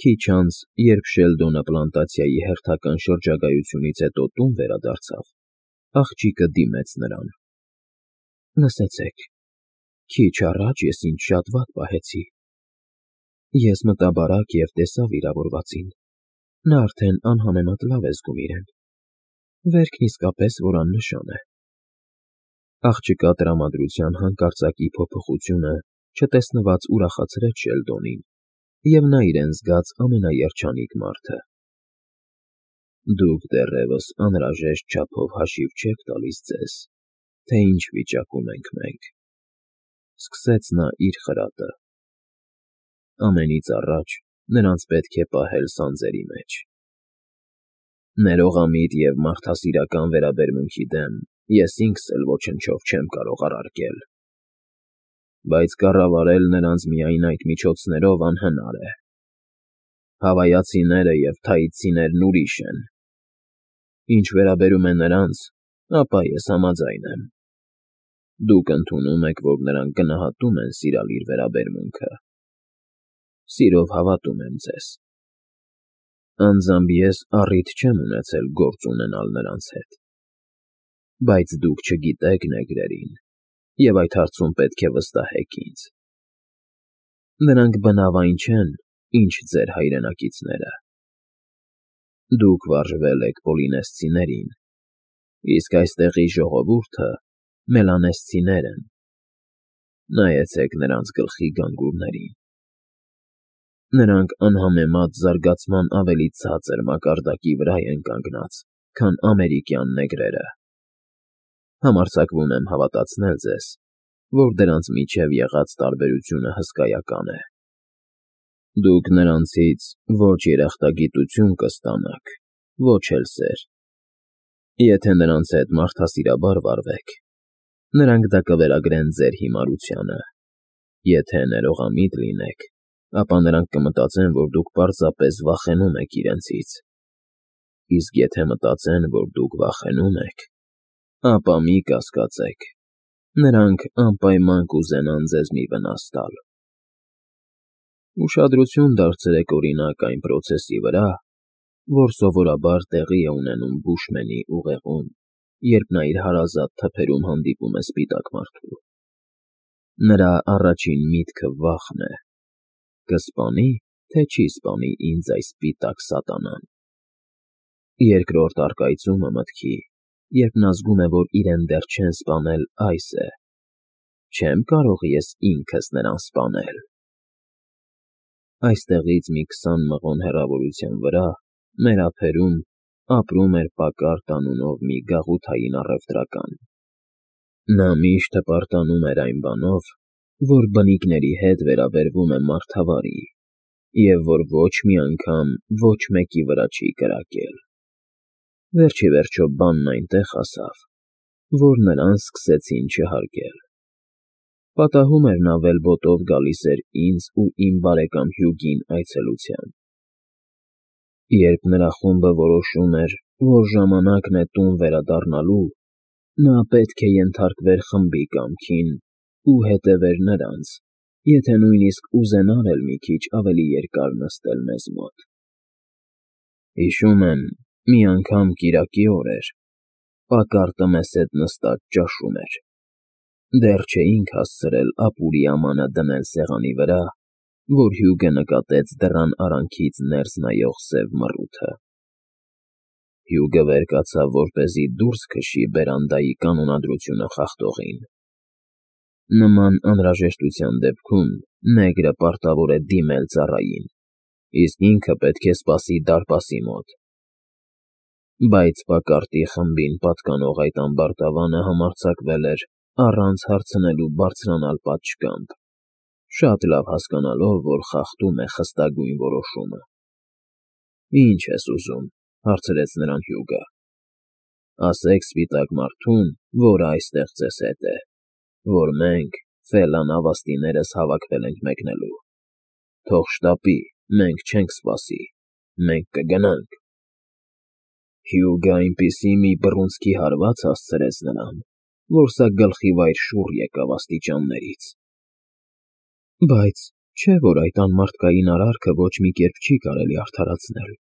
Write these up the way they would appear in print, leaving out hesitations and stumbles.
Քիչ անց, երբ Շելդոնը պլանտացիայի հերթական շրջագայությունից հետո տուն վերադարձավ, աղջիկը դիմեց նրան։ ֊ Լսեցեք, քիչ առաջ ես ինձ շատ վատ պահեցի։ Ես մտա բարակ և տեսա վիրավորվածին, նա արդեն անհամեմատ լավ է զգում իրեն, վերքն իսկապես որ աննշան է։ Աղջկա տրամադրության հանկարծակի փոփոխությունը չտեսնված ուրախացրեց Շելդոնին, և նա իրեն զգաց ամենաերջանիկ մարդը։ Դուք դեռևս անհրաժեշտ չափով հաշիվ չեք տալիս ձեզ, թե ինչ վիճակում ենք մենք,֊ սկսեց նա իր խրատը։ Ամենից առաջ նրանց պետք է պահել սանձերի մեջ։ Ներողամիտ և մարդասիրական վերաբերմունքի դեմ ես ինքս էլ ոչնչով չեմ կարող առարկել, բայց կառավարել նրանց միայն այդ միջոցներով անհնար է։ Հավայացիները և թաիցիներն ուրիշ են։ Ինչ վերաբերում է նրանց, ապա ես համաձայն եմ։ Դուք ընդունում եք, որ նրանք գնահատում են սիրալիր վերաբերմունքը։ Սիրով հավատում եմ ձեզ։ Անձամբ ես առիթ չեմ ունեցել գործ ունենալ նրանց հետ։ Բայց դուք չգիտեք նեգրերին, և այդ հարցում պետք է վստահեք ինձ։ Նրանք բնավ այն չեն, ինչ ձեր հայրենակիցները։ Դուք վարժվել եք պոլինեսցիներին, իսկ այստեղի ժողովուրդը մելանեսցիներ են։ Նայեցեք նրանց գլխի գանգուրներին։ Նրանք անհամեմատ զարգացման ավելի ցածր մակարդակի վրա են կանգնած, քան ամերիկյան նեգրերը։ Համարձակվում եմ հավատացնել ձեզ, որ դրանց միջև եղած տարբերությունը հսկայական է։ Դուք նրանցից ոչ երախտագիտություն կստանաք, ոչ էլ սեր։ Եթե նրանց հետ մարդասիրաբար վարվեք, նրանք դա կվերագրեն ձեր հիմարությանը։ Եթե ներողամիտ լինեք, ապա նրանք կմտածեն, որ դուք պարզապես վախենում եք իրենցից։ Իսկ եթե մտածեն, որ դուք վախենում եք, ապա մի կասկածեք, նրանք անպայման կուզենան ձեզ մի վնաս տալ։ Ուշադրություն դարձրեք, օրինակ, այն պրոցեսի վրա, որ սովորաբար տեղի է ունենում բուշմենի ուղեղում, երբ նա իր հարազատ թփերում հանդիպում է սպիտակ մարդու։ Նրա առաջին միտքը վախն է. կսպանի, թե չի սպանի ինձ այս սպիտակ սատանան։ Երկրորդ առկայծումը մտքի, երբ նա զգում է, որ իրեն դեռ չեն սպանել, այս է. չեմ կարող ես ինքս նրան սպանել։ Այստեղից մի 20 մղոն հեռավորության վրա, մեր ափերում, ապրում էր Պակարդ անունով մի գաղութային առևտրական։ Նա միշտ հպարտանում էր այն բանով, որ բնիկների հետ վերաբերվում է մարդավարի, և որ ոչ մի անգամ ոչ մեկի վրա չի կրակել։ Վերջիվերջո բանն այնտեղ հասավ, որ նրան սկսեցին չհարգել։ Պատահում էր նա վելբոտով գալիս էր ինձ ու իմ բարեկամ Հյուգին այցելության։ Երբ նրա խումբը որոշում էր, որ ժամանակն է տուն վերադառնալու, նա պետք է ենթարկվեր խմբի կամքին ու հետևեր նրանց, եթե նույնիսկ ուզենար էլ մի քիչ ավելի երկար նստել մեզ մոտ։ Հիշում եմ, մի անգամ կիրակի օր էր, Պակարդը մեզ հետ նստած ճաշում էր։ Դեռ չէինք հասցրել ապուրի ամանը դնել սեղանի վրա, որ Հյուգը նկատեց դռան արանքից ներս նայող սև մռութը։ Հյուգը վեր կացավ, որպեսզի դուրս քշի բերանդայի կանոնադրությունը խախտողին։ Նման անհրաժեշտության դեպքում նեգրը պարտավոր է դիմել ծառային, իսկ ինքը պետք է սպասի դարպասի մոտ։ Բայց Պակարդի խմբին պատկանող այդ ամբարտավանը համարձակվել էր առանց հարցնելու բարձրանալ պատշգամբ, շատ լավ հասկանալով, որ խախտում է խստագույն որոշումը։ Ինչ ես ուզում,֊ հարցրեց նրան Հյուգը։ Ասեք սպիտակ մարդուն, որը այստեղ ձեզ հետ է, որ մենք, Ֆելան ավաստիներս հավաքվել ենք մեկնելու։ Թող շտապի, մենք չենք սպասի, մենք կգնանք։ Հյուգը այնպիսի մի բռունցքի հարված հասցրեց նրան, որ սա գլխի վայր շուռ եկավ աստիճաններից։ Բայց Չէ՞ որ այդ անմարդկային արարքը ոչ մի կերպ չի կարելի արդարացնել,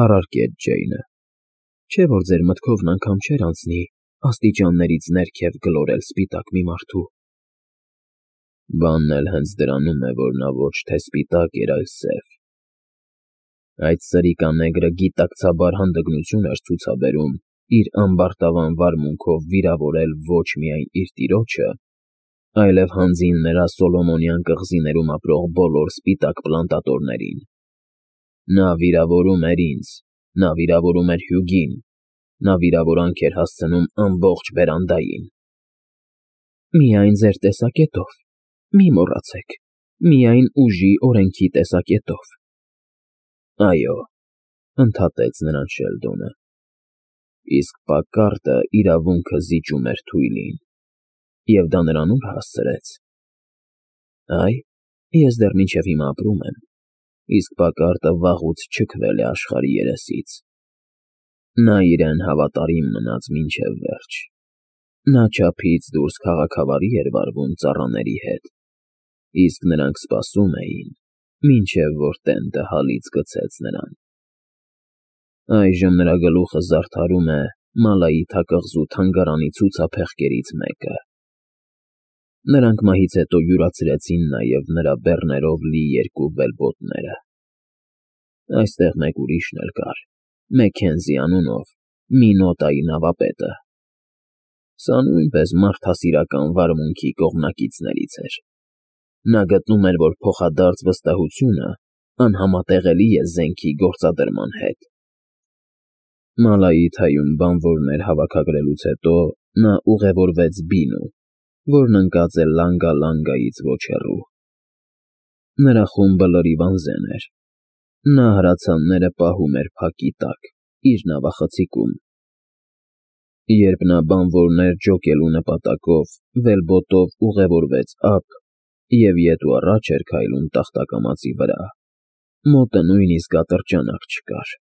առարկեց Ջեյնը, չէ՞ որ ձեր մտքովն անգամ չէր անցնի աստիճաններից ներքև գլորել սպիտակ մի մարդու։ Բանն էլ հենց դրանում է, որ նա ոչ թե սպիտակ էր, այլ սև։ Այդ սրիկանեգրը գիտակցաբար հանդգնություն էր ցուցաբերում իր ամբարտավան վարմունքով վիրավորել ոչ միայն իր տիրոջը, այլև հանձին նրա Սոլոմոնյան կղզիներում ապրող բոլոր սպիտակ պլանտատորներին։ Նա վիրավորում էր ինձ, նա վիրավորում էր Հյուգին, նա վիրավորանք էր հասցնում ամբողջ բերանդային։ Միայն ձեր տեսակետով, մի մոռացեք, միայն ուժի օրենքի տեսակետով։ Այո, ընդհատեց նրան Շելդոնը, իսկ Պակարտը իրավունքը զիջում էր Թույլին, և դա նրան ուր հասցրեց։ Այ, ես դեռ մինչև հիմա ապրում եմ, իսկ Պակարտը վաղուց չքվել է աշխարհի երեսից։ Նա իրեն հավատարիմ մնաց մինչև վերջ։ Նա չափից դուրս քաղաքավարի էր վարվում ծառաների հետ, իսկ նրանք սպասում էին, մինչև որ տենտը հալից գցեց նրան։ Այժմ նրա գլուխը զարդարում է Մալայիթա կղզու թանգարանի ցուցափեղկերից մեկը։ Նրանք մահից հետո յուրացրեցին նաև նրա բեռներով լի երկու վելբոտները։ Այստեղ մեկ ուրիշն էլ կար, Մեքենզի անունով, մի նոտայի նավապետը։ Սա նույնպես մարդասիրական վարմունքի կողմնակիցներից էր։ Նա գտնում էր, որ փոխադարձ վստահությունը անհամատեղելի է զենքի գործադրման հետ։ Մալայիթայում բանվորներ հավաքագրելուց հետո նա ուղևորվեց Բինու, որն ընկած է Լանգա֊Լանգայից ոչ հեռու։ Նրա խումբը լրիվ անզեն էր։ Նա հրացանները պահում էր փակի տակ, իր նավախցիկում։ Երբ նա բանվորներ ջոկելու նպատակով վելբոտով ուղևորվեց ափ և ետ ու առաջ էր քայլում տախտակամածի վրա, մոտը նույնիսկ ատրճանակ չկար։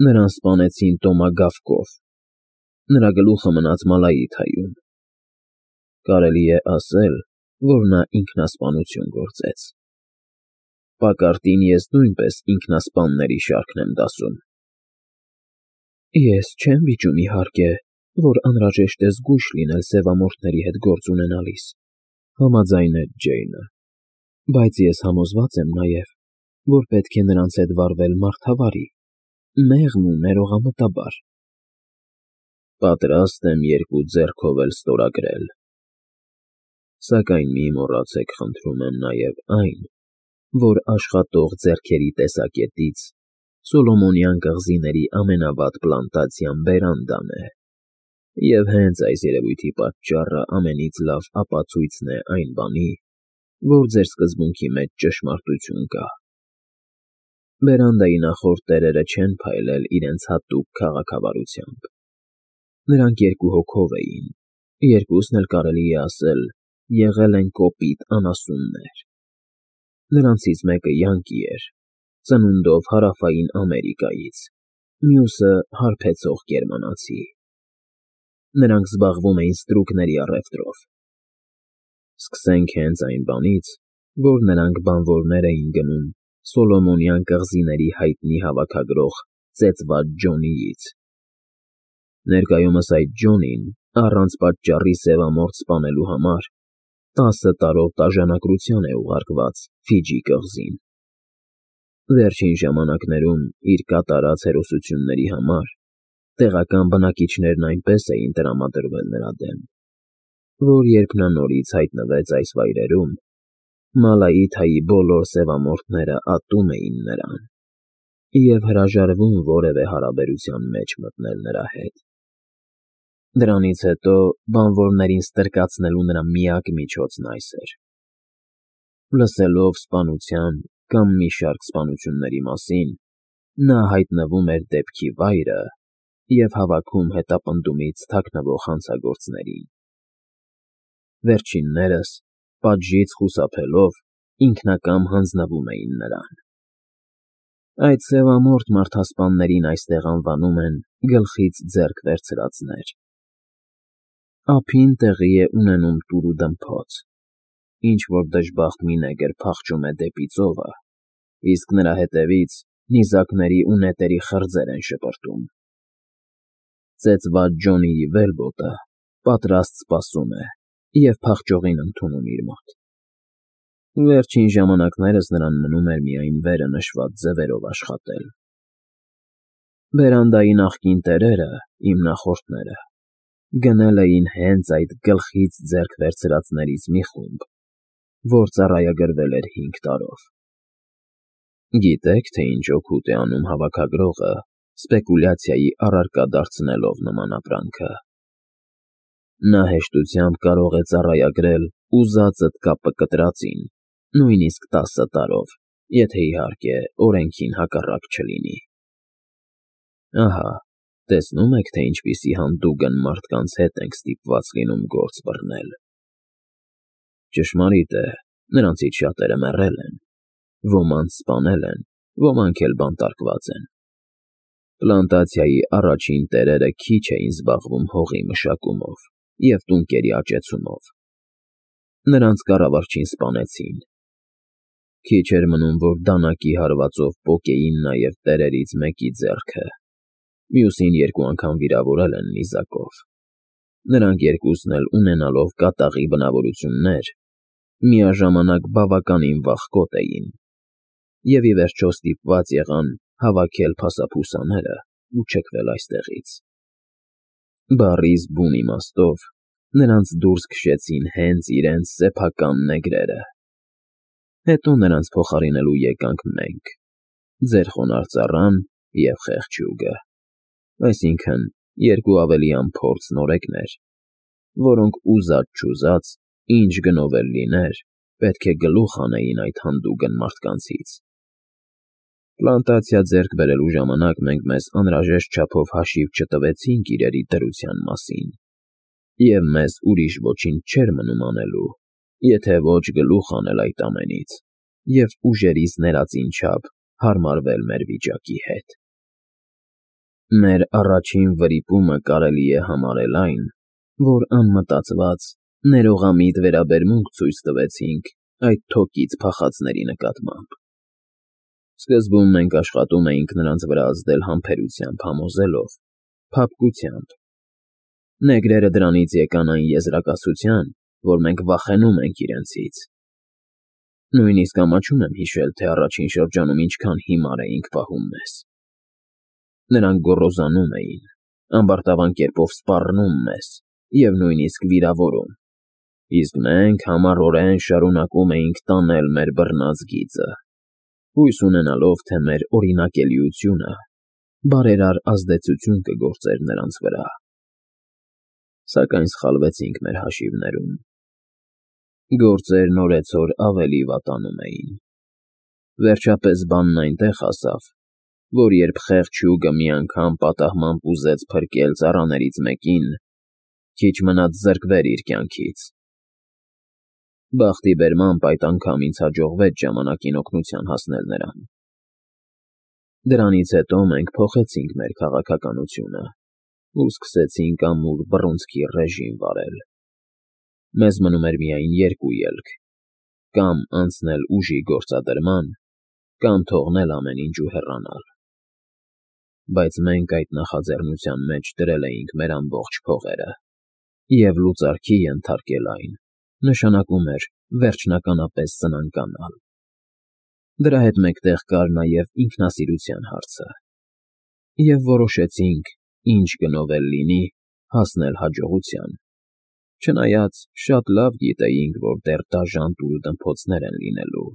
Նրան սպանեցին տոմագավկով, նրա գլուխը մնաց Մալայիթայում։ Կարելի է ասել, որ նա ինքնասպանություն գործեց։ Պակարտին ես նույնպես ինքնասպանների շարքն եմ դասում։ Ես չեմ վիճում, իհարկե, որ անհրաժեշտ է զգույշ լինել սևամորթների հետ գործ ունենալիս, համաձայնեց Ջեյնը, բայց ես համոզված եմ նաև, որ պետք է նրանց հետ վարվել մարդավարի, մեղմ ու ներողամտաբար։ Պատրաստ եմ երկու ձեռքով էլ ստորագրել։ Սակայն մի մոռացեք, խնդրում եմ նաև այն, որ աշխատող ձեռքերի տեսակետից Սոլոմոնյան կղզիների ամենավատ պլանտացիան բերանդան է, և հենց այս երևույթի պատճառը ամենից լավ ապացույցն է այն բանի, որ ձեր սկզբունքի մեջ ճշմարտություն կա։ Բերանդայի նախորդ տերերը չեն փայլել իրենց հատուկ քաղաքավարությամբ։ Նրանք երկու հոգով էին, երկուսն էլ կարելի է ասել եղել են կոպիտ անասուններ։ Նրանցից մեկը յանկի էր, ծնունդով Հարավային Ամերիկայից, մյուսը հարբեցող գերմանացի։ Նրանք զբաղվում էին ստրուկների առևտրով։ Սկսենք հենց այն բանից, որ նրանք բանվորներ էին գնում Սոլոմոնյան կղզիների հայտնի հավաքագրող ծեծված Ջոնիից։ Ներկայումս այդ Ջոնին, առանց պատճառի սևամորթ սպանելու համար, 10 տարով տաժանակրության է ուղարկված Ֆիջի կղզին։ Վերջին ժամանակներում իր կատարած հերոսությունների համար տեղական բնակիչներն այնպես էին տրամադրվել նրա դեմ, որ երբ նա նորից հայտնվեց այս վայրերում, Մալայիթայի բոլոր սևամորթները ատում էին նրան և հրաժարվում որևէ հարաբերության մեջ մտնել նրա հետ։ Դրանից հետո բանվորներին ստրկացնելու նրա միակ միջոցն այս էր։ Լսելով սպանության կամ մի շարք սպանությունների մասին, նա հայտնվում էր դեպքի վայրը և հավաքում հետապնդումից թաքնվող հանցագործներին։ Վերջիններս, պատժից խուսափելով, ինքնակամ հանձնվում էին նրան։ Այդ սևամորթ մարդասպաններին այստեղ անվանում են գլխից ձեռք վերցրածներ։ Ափին տեղի է ունենում տուր ու դմփոց։ ինչ-որ դժբախտ մի նեգր փախչում է դեպի ծովը, իսկ նրա հետևից նիզակների ու նետերի խրձեր են շպրտում։ Ծեծված Ջոնիի վելբոտը պատրաստ սպասում է և փախչողին ընդունում իր մոտ։ Վերջին ժամանակներս նրան մնում էր միայն վերը նշված ձևերով աշխատել։ Բերանդայի նախկին տերերը, իմ նախորդները, գնել էին հենց այդ գլխից ձեռք վերցրածներից մի խումբ, որ ծառայագրվել էր 5 տարով։ Գիտե՞ք, թե ինչ օգուտ է անում հավաքագրողը, սպեկուլյացիայի առարկա դարձնելով նման ապրանքը։ Նա հեշտությամբ կարող է ծառայագրել ուզածդ կապը կտրածին, նույնիսկ 10 տարով, եթե իհարկե օրենքին հակառակ չլինի։ Ահա, տեսնում եք, թե ինչպիսի հանդուգն մարդկանց հետ ենք ստիպված լինում գործ բռնել։ Ճշմարիտ է, նրանցից շատերը մեռել են, ոմանց սպանել են, ոմանք էլ բանտարկված են։ Պլանտացիայի առաջին տերերը քիչ էին զբաղվում հողի մշակումով և տունկերի աճեցումով։ Նրանց կառավարչին սպանեցին։ Քիչ էր մնում, որ դանակի հարվածով պոկեին նաև տերերից մեկի ձեռքը, մյուսին 2 անգամ վիրավորել են նիզակով։ Նրանք երկուսն էլ ունենալով կատաղի բնավորություններ, միաժամանակ բավականին վախկոտ էին, և ի վերջո ստիպված եղան հավաքել փասափուսաները ու չքվել այստեղից։ Բառիս բուն իմաստով նրանց դուրս քշեցին հենց իրենց սեփական նեգրերը։ Հետո նրանց փոխարինելու եկանք մենք, ձեր խոնարհ ծառան և խեղճյուգը, այսինքն 2 ավելի անփորձ նորեկներ, որոնք ուզած-չուզած, ինչ գնով էլ լիներ, պետք է գլուխ հանեին այդ հանդուգն մարդկանցից։ Պլանտացիա ձեռք բերելու ժամանակ մենք մեզ անհրաժեշտ չափով հաշիվ չտվեցինք իրերի դրության մասին, և մեզ ուրիշ ոչինչ չէր մնում անելու, եթե ոչ գլուխ հանել այդ ամենից և ուժերիս ներածին չափ հարմարվել մեր վիճակի հետ։ Մեր առաջին վրիպումը կարելի է համարել այն, որ անմտածված, ներողամիտ վերաբերմունք ցույց տվեցինք այդ թոկից փախածների նկատմամբ։ Սկզբում մենք աշխատում էինք նրանց վրա ազդել համբերությամբ համոզելով, փափկությամբ։ Նեգրերը դրանից եկան այն եզրակացության, որ մենք վախենում ենք իրենցից։ Նույնիսկ ամաչում եմ հիշել, թե առաջին շրջանում ինչքան հիմար էինք պահում մեզ։ Նրանք գոռոզանում էին, ամբարտավան կերպով սպառնում մեզ և նույնիսկ վիրավորում, իսկ մենք համառորեն շարունակում էինք տանել մեր բռնած գիծը, հույս ունենալով, թե մեր օրինակելիությունը բարերար ազդեցություն կգործեր նրանց վրա։ Սակայն սխալվեցինք մեր հաշիվներում։ Գործերն օրեցօր ավելի վատանում էին։ Վերջապես բանն այնտեղ հասավ, որ երբ խեղճ հյուգը մի անգամ պատահմամբ ուզեց փրկել ծառաներից մեկին, քիչ մնաց զրկվեր իր կյանքից։ Բախտի բերմամբ այդ անգամ ինձ հաջողվեց ժամանակին օգնության հասնել նրան։ Դրանից հետո մենք փոխեցինք մեր քաղաքականությունը ու սկսեցինք ամուր բռունցքի ռեժիմ վարել։ Մեզ մնում էր միայն 2 ելք. կամ անցնել ուժի գործադրման, կամ թողնել ամեն ինչ ու հեռանալ։ Բայց մենք այդ նախաձեռնության մեջ դրել էինք մեր ամբողջ փողերը, և լուծարքի ենթարկել այն նշանակում էր վերջնականապես սնանկանալ։ Դրա հետ մեկտեղ կար նաև ինքնասիրության հարցը, և որոշեցինք, ինչ գնով էլ լինի, հասնել հաջողության, չնայած շատ լավ գիտեինք, որ դեռ դաժան տուլդմփոցներ են լինելու։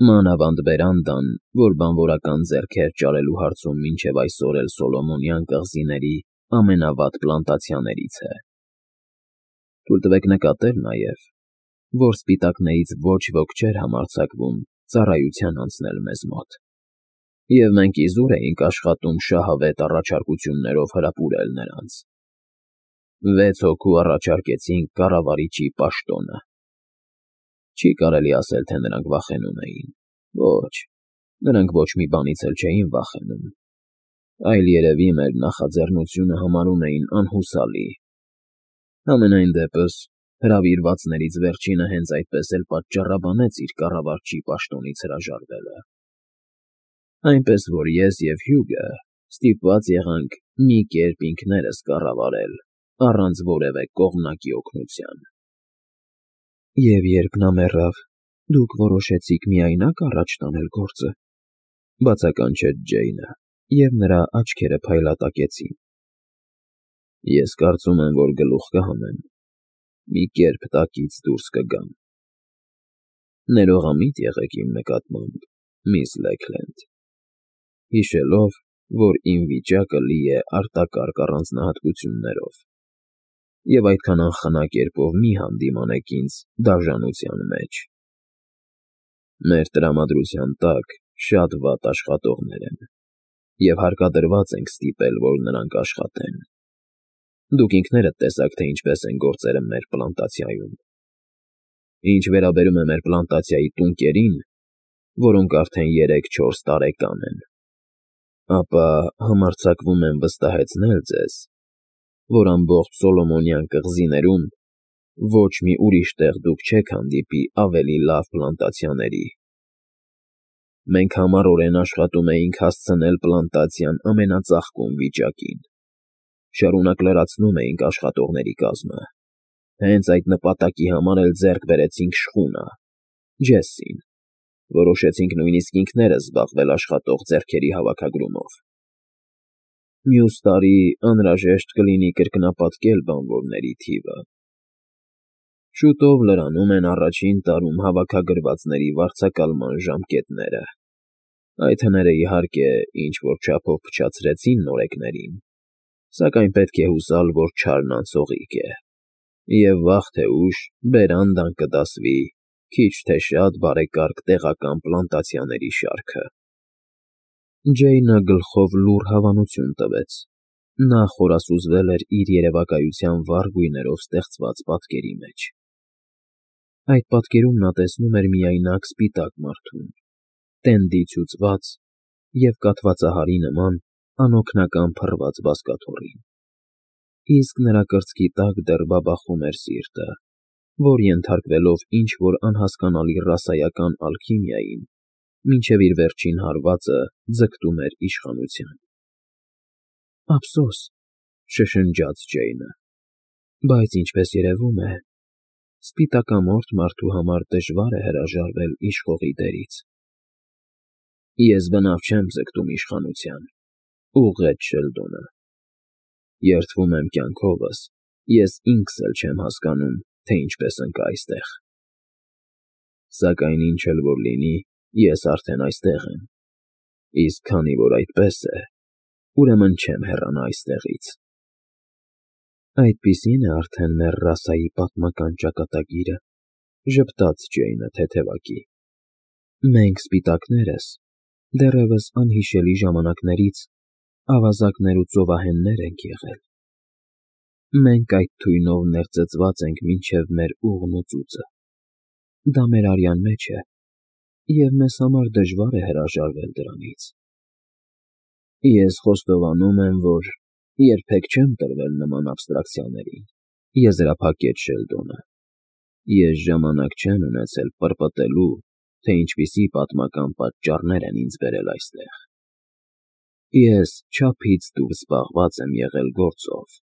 Մանավանդ բերանդան, որ բանվորական ձեռքեր ճարելու հարցում մինչև այսօր էլ Սոլոմոնյան կղզիների ամենավատ պլանտացիաներից է։ Թույլ տվեք նկատել նաև, որ սպիտակներից ոչ ոք չէր համարձակվում ծառայության անցնել մեզ մոտ, և մենք իզուր էինք աշխատում շահավետ առաջարկություններով հրապուրել նրանց։ 6 հոգու առաջարկեցինք կառավարիչի պաշտոնը։ Չի կարելի ասել, թե նրանք վախենում էին։ Ոչ, նրանք ոչ մի բանից էլ չէին վախենում, այլ երևի մեր նախաձեռնությունը համարում էին անհուսալի։ Համենայն դեպս, Հրավիրվածներից վերջինը հենց այդպես էլ պատճառաբանեց իր կառավարչի պաշտոնից հրաժարվելը։ Այնպես որ ես և Հյուգը ստիպված եղանք մի կերպ ինքներս կառավարել, առանց որևէ կողմնակի օգնության։ Եվ երբ նա մեռավ, դուք որոշեցիք միայնակ առաջ տանել գործը, բացականչեց Ջեյնը, և նրա աչքերը փայլատակեցին։ Ես կարծում եմ, որ գլուխ կհանեմ, մի կերպ տակից դուրս կգամ։ Ներողամիտ եղեք իմ նկատմամբ, միս Լեքլենդ, հիշելով, որ իմ վիճակը լի է արտակարգ առանձնահատկություններով, և այդքան անխնա կերպով մի հանդիմանեք ինձ դաժանության մեջ։ Մեր տրամադրության տակ շատ վատ աշխատողներ են, և հարկադրված ենք ստիպել, որ նրանք աշխատեն։ Դուք ինքներդ տեսաք, թե ինչպես են գործերը մեր պլանտացիայում։ Ինչ վերաբերում է մեր պլանտացիայի տունկերին, որոնք արդեն 3-4 տարեկան են, ապա համարձակվում եմ վստահեցնել ձեզ, որ ամբողջ Սոլոմոնյան կղզիներում ոչ մի ուրիշ տեղ դուք չեք հանդիպի ավելի լավ պլանտացիաների։ Մենք համառորեն աշխատում էինք հասցնել պլանտացիան ամենածաղկուն վիճակին, շարունակ լրացնում էինք աշխատողների կազմը, հենց այդ նպատակի համար էլ ձեռք բերեցինք շխունա, Ջեսսին, որոշեցինք նույնիսկ ինքներս զբաղվել աշխատող ձեռքերի հավաքագրումով։ Մյուս տարի անհրաժեշտ կլինի կրկնապատկել բանվորների թիվը։ Շուտով լրանում են առաջին տարում հավաքագրվածների վարձակալման ժամկետները։ Այդ հները, իհարկե, ինչ-որ չափով փչացրեցին նորեկներին, սակայն պետք է հուսալ, որ չարն անցողիկ է, և վաղ թե ուշ բերանդան կդասվի քիչ թե շատ բարեկարգ տեղական պլանտացիաների շարքը։ Ջեյնը գլխով լուռ հավանություն տվեց. նա խորասուզվել էր իր երևակայության վառ գույներով ստեղծված պատկերի մեջ։ Այդ պատկերում նա տեսնում էր միայնակ սպիտակ մարդուն, տենդի ցուցված և կաթվածահարի նման անօգնական փռված բազկաթոռին, իսկ նրա կրծքի տակ դեռ բաբախում էր սիրտը, որ ենթարկվելով ինչ-որ անհասկանալի ռասայական ալքիմիային, մինչև իր վերջին հարվածը ձգտում էր իշխանության։ Ափսոս, շշնջաց Ջեյնը, բայց ինչպես երևում է, սպիտակամորթ մարդու համար դժվար է հրաժարվել իշխողի դերից։ Ես բնավ չեմ ձգտում իշխանության, ուղղեց Շելդոնը։ Երդվում եմ կյանքովս, ես ինքս էլ չեմ հասկանում, թե ինչպես ընկա այստեղ։ Սակայն ինչ էլ որ լինի, ես արդեն այստեղ եմ, իսկ քանի որ այդպես է, ուրեմն չեմ հեռանա այստեղից։ Այդպիսին է արդեն մեր ռասայի պատմական ճակատագիրը, ժպտաց Ջեյնը թեթևակի։ Մենք սպիտակներս դեռևս անհիշելի ժամանակներից ավազակներ ու ծովահեններ ենք եղել։ Մենք այդ թույնով ներծծված ենք մինչև մեր ուղն ու ծուծը։ Դա մեր արյան մեջ է, և մեզ համար դժվար է հրաժարվել դրանից։ Ես խոստովանում եմ, որ երբեք չեմ տրվել նման աբստրակցիաներին, եզրափակեց Շելդոնը։ Ես ժամանակ չեմ ունեցել պրպտելու, թե ինչպիսի պատմական պատճառներ են ինձ բերել այստեղ։ Ես չափից դուրս զբաղված եմ եղել գործով,